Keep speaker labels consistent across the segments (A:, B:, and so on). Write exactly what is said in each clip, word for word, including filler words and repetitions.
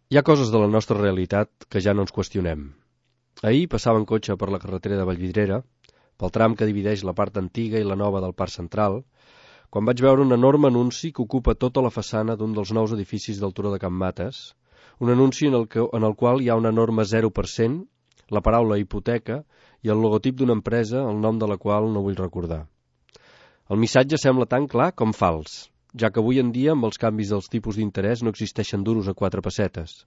A: Hi ha coses de la nostra realitat que ja no ens qüestionem. Ahir passava en cotxe per la carretera de Vallvidrera, pel tram que divideix la part antiga i la nova del Parc Central, quan vaig veure un enorme anunci que ocupa tota la façana d'un dels nous edificis del Turó de Can Mates, un anunci en el, que, en el qual hi ha un enorme zero per cent, la paraula hipoteca i el logotip d'una empresa, el nom de la qual no vull recordar. El missatge sembla tan clar com fals, ja que avui en dia amb els canvis dels tipus d'interès no existeixen duros a quatre pessetes.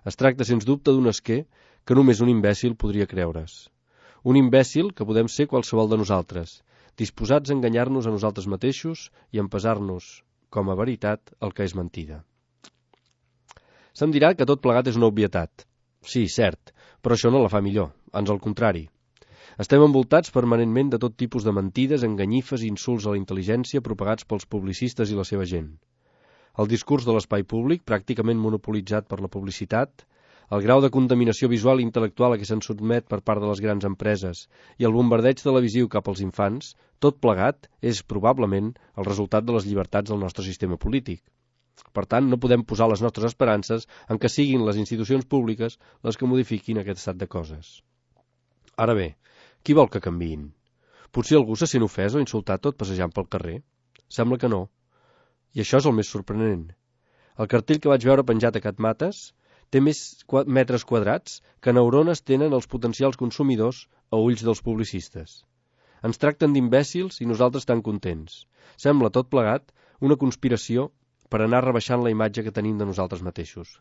A: Es tracta, sens dubte, d'un esquer que només un imbècil podria creure's. Un imbècil que podem ser qualsevol de nosaltres, disposats a enganyar-nos a nosaltres mateixos i a empesar-nos, com a veritat, el que és mentida. Se'm dirà que tot plegat és una obvietat. Sí, cert, però això no la fa millor, ans al contrari. Estem envoltats permanentment de tot tipus de mentides, enganyifes i insults a la intel·ligència propagats pels publicistes i la seva gent. El discurs de l'espai públic, pràcticament monopolitzat per la publicitat, el grau de contaminació visual i intel·lectual a què se'n sotmet per part de les grans empreses i el bombardeig televisiu cap als infants, tot plegat és probablement el resultat de les llibertats del nostre sistema polític. Per tant, no podem posar les nostres esperances en que siguin les institucions públiques les que modifiquin aquest estat de coses. Ara bé, qui vol que canviïn? Potser algú se sent ofès o insultat tot passejant pel carrer? Sembla que no. I això és el més sorprenent. El cartell que vaig veure penjat a Can Mates té més metres quadrats que neurones tenen els potencials consumidors a ulls dels publicistes. Ens tracten d'imbècils i nosaltres tan contents. Sembla tot plegat una conspiració per anar rebaixant la imatge que tenim de nosaltres mateixos.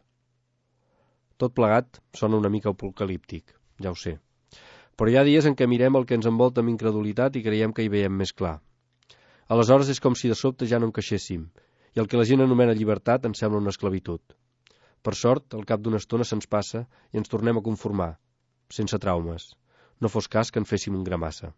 A: Tot plegat sona una mica apocalíptic, ja ho sé. Però hi ha dies en què mirem el que ens envolta amb incredulitat i creiem que hi veiem més clar. Aleshores és com si de sobte ja no encaixéssim, i el que la gent anomena llibertat ens sembla una esclavitud. Per sort, al cap d'una estona se'ns passa i ens tornem a conformar, sense traumes. No fos cas que en féssim un gramassa.